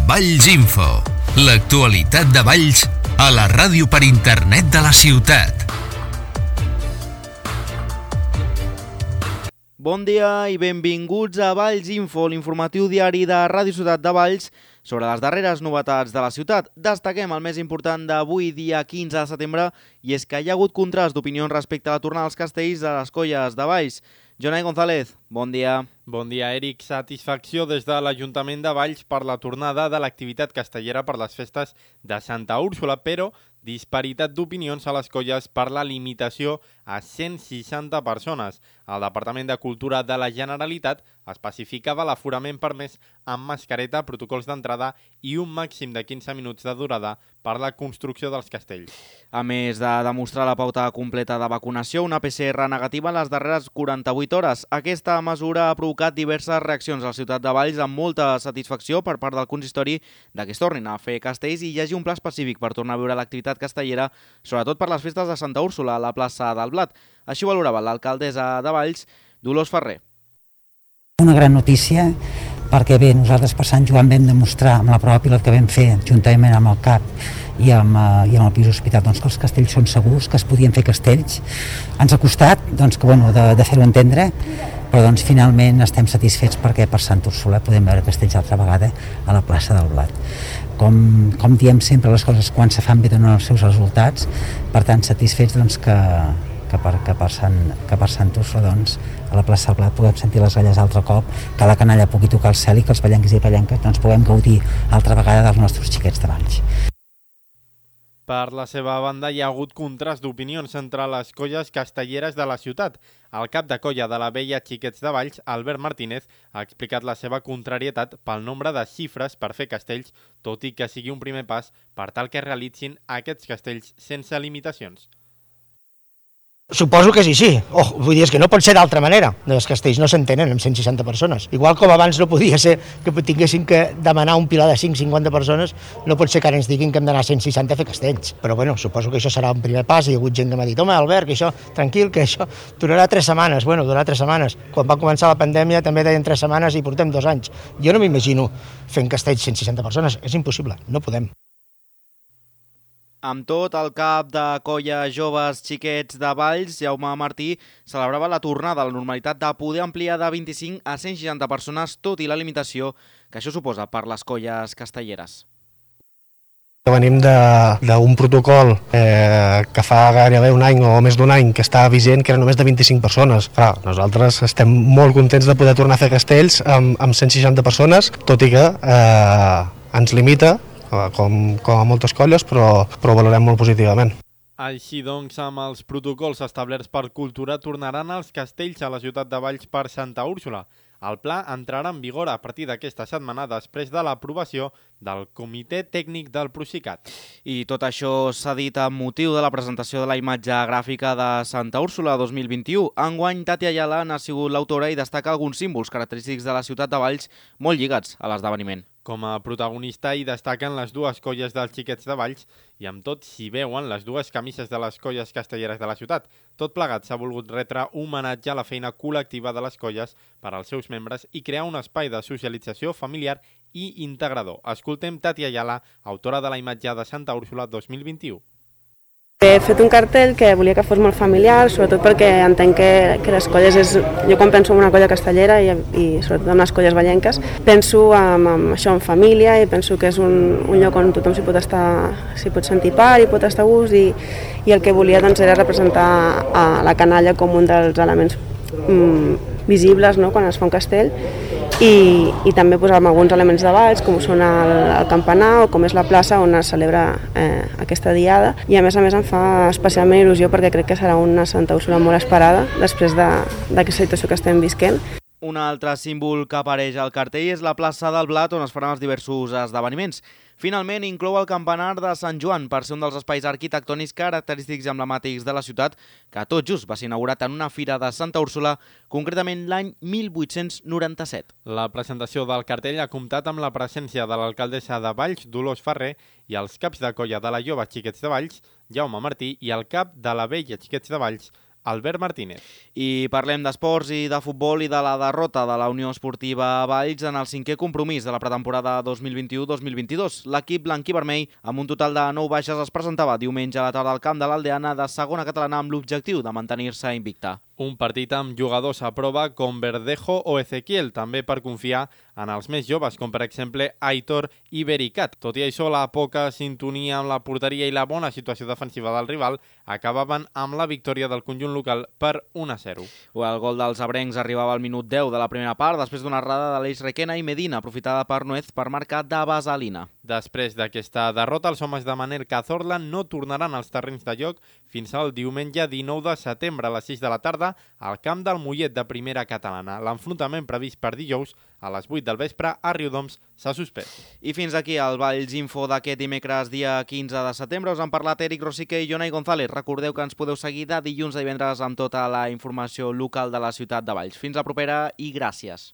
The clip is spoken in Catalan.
Valls Info, l'actualitat de Valls a la ràdio per internet de la ciutat. Bon dia i benvinguts a Valls Info, l'informatiu diari de Ràdio Ciutat de Valls sobre les darreres novetats de la ciutat. Destaquem el més important d'avui, dia 15 de setembre, i és que hi ha hagut contrast d'opinions respecte a la tornada als castells de les colles de Valls. Jonai González, bon dia. Bon dia, Eric. Satisfacció des de l'Ajuntament de Valls per la tornada de l'activitat castellera per les festes de Santa Úrsula, però disparitat d'opinions a les colles per la limitació a 160 persones. El Departament de Cultura de la Generalitat especificava l'aforament permès amb mascareta, protocols d'entrada i un màxim de 15 minuts de durada per la construcció dels castells. A més de demostrar la pauta completa de vacunació, una PCR negativa en les darreres 48 hores. Aquesta mesura ha provocat diverses reaccions a la ciutat de Valls amb molta satisfacció per part del consistori de que es tornin a fer castells i hi hagi un pla específic per tornar a viure l'activitat castellera, sobretot per les festes de Santa Úrsula a la plaça del Blat. Així ho valorava l'alcaldessa de Valls, Dolors Ferrer. Una gran notícia perquè bé, nosaltres per Sant Joan vam demostrar amb la prova pilot que vam fer juntament amb el CAP i amb el Pis Hospital que els castells són segurs, que es podien fer castells. Ens ha costat de fer-ho entendre, però finalment estem satisfets perquè per Sant Úrsula podem veure castells altra vegada a la plaça del Blat. Com diem sempre, les coses quan se fan bé donen els seus resultats, per tant satisfets que per Sant Úrsula a la plaça del Blat puguem sentir les galles altre cop, que la canalla pugui tocar el cel i que els ballencs i ballenques puguem gaudir altra vegada dels nostres xiquets de Valls. Per la seva banda, hi ha hagut contrast d'opinions entre les colles castelleres de la ciutat. El cap de colla de la vella Xiquets de Valls, Albert Martínez, ha explicat la seva contrarietat pel nombre de xifres per fer castells, tot i que sigui un primer pas per tal que es realitzin aquests castells sense limitacions. Suposo que sí. Vull dir, és que no pot ser d'altra manera. Els castells no s'entenen amb 160 persones. Igual com abans no podia ser que tinguéssim que demanar un pilar de 5-50 persones, no pot ser que ara ens diguin que hem d'anar a 160 a fer castells. Però suposo que això serà un primer pas. Hi ha hagut gent que m'ha dit, home, Albert, que això, tranquil, que això durarà 3 setmanes. Durarà 3 setmanes. Quan va començar la pandèmia també deien 3 setmanes i portem 2 anys. Jo no m'imagino fent castells 160 persones. És impossible, no podem. Amb tot, el cap de colla Joves Xiquets de Valls, Jaume Martí, celebrava la tornada a la normalitat de poder ampliar de 25 a 160 persones, tot i la limitació que això suposa per les colles castelleres. Venim d'un protocol que fa gairebé un any o més d'un any que està vigent, que era només de 25 persones. Clar, nosaltres estem molt contents de poder tornar a fer castells amb 160 persones, tot i que ens limita, com a moltes colles, però valorem molt positivament. Així doncs, amb els protocols establerts per Cultura, tornaran els castells a la ciutat de Valls per Santa Úrsula. El pla entrarà en vigor a partir d'aquesta setmana després de l'aprovació del Comitè Tècnic del Procicat. I tot això s'ha dit amb motiu de la presentació de la imatge gràfica de Santa Úrsula 2021. Enguany, Tati Ayala n'ha sigut l'autora i destaca alguns símbols característics de la ciutat de Valls molt lligats a l'esdeveniment. Com a protagonista hi destaquen les dues colles dels Xiquets de Valls i amb tot s'hi veuen les dues camises de les colles castelleres de la ciutat. Tot plegat s'ha volgut retre homenatge a la feina col·lectiva de les colles per als seus membres i crear un espai de socialització familiar i integrador. Escoltem Tati Ayala, autora de la imatge de Santa Úrsula 2021. He fet un cartell que volia que fos molt familiar, sobretot perquè entenc que les colles és... Jo quan penso en una colla castellera i sobretot en les colles vallenques, penso en això, en família, i penso que és un lloc on tothom s'hi pot sentir part i pot estar a gust, i el que volia era representar a la canalla com un dels elements visibles quan es fa un castell, i també posar alguns elements de Valls, com són el campanar o com és la plaça on es celebra aquesta diada. I a més em fa especialment il·lusió perquè crec que serà una Santa Úrsula molt esperada després d'aquesta situació que estem visquent. Un altre símbol que apareix al cartell és la plaça del Blat, on es faran els diversos esdeveniments. Finalment, inclou el campanar de Sant Joan per ser un dels espais arquitectònics característics i emblemàtics de la ciutat, que tot just va ser inaugurat en una fira de Santa Úrsula, concretament l'any 1897. La presentació del cartell ha comptat amb la presència de l'alcaldessa de Valls, Dolors Ferrer, i els caps de colla de la Jove Xiquets de Valls, Jaume Martí, i el cap de la vella Xiquets de Valls, Albert Martínez. I parlem d'esports i de futbol i de la derrota de la Unió Esportiva Valls en el 5è compromís de la pretemporada 2021-2022. L'equip blanc i vermell, amb un total de 9 baixes, es presentava diumenge a la tarda al camp de l'Aldeana de segona catalana amb l'objectiu de mantenir-se invicta. Un partit amb jugadors a prova com Verdejo o Ezequiel, també per confiar en els més joves, com per exemple Aitor i Bericat. Tot i això, la poca sintonia amb la porteria i la bona situació defensiva del rival acabaven amb la victòria del conjunt local per 1-0. El gol dels abrencs arribava al minut 10 de la primera part, després d'una errada de l'Eix Requena i Medina, aprofitada per Nuez per marcar de vaselina. Després d'aquesta derrota, els homes de Manel Cazorla no tornaran als terrenys de joc fins al diumenge 19 de setembre a les 6 de la tarda al camp del Mollet de primera catalana. L'enfrontament previst per dijous a les 8 del vespre a Riudoms s'ha suspès. I fins aquí el Valls Info d'aquest dimecres dia 15 de setembre. Us han parlat Eric Rosique i Jonai González. Recordeu que ens podeu seguir de dilluns a divendres amb tota la informació local de la ciutat de Valls. Fins la propera i gràcies.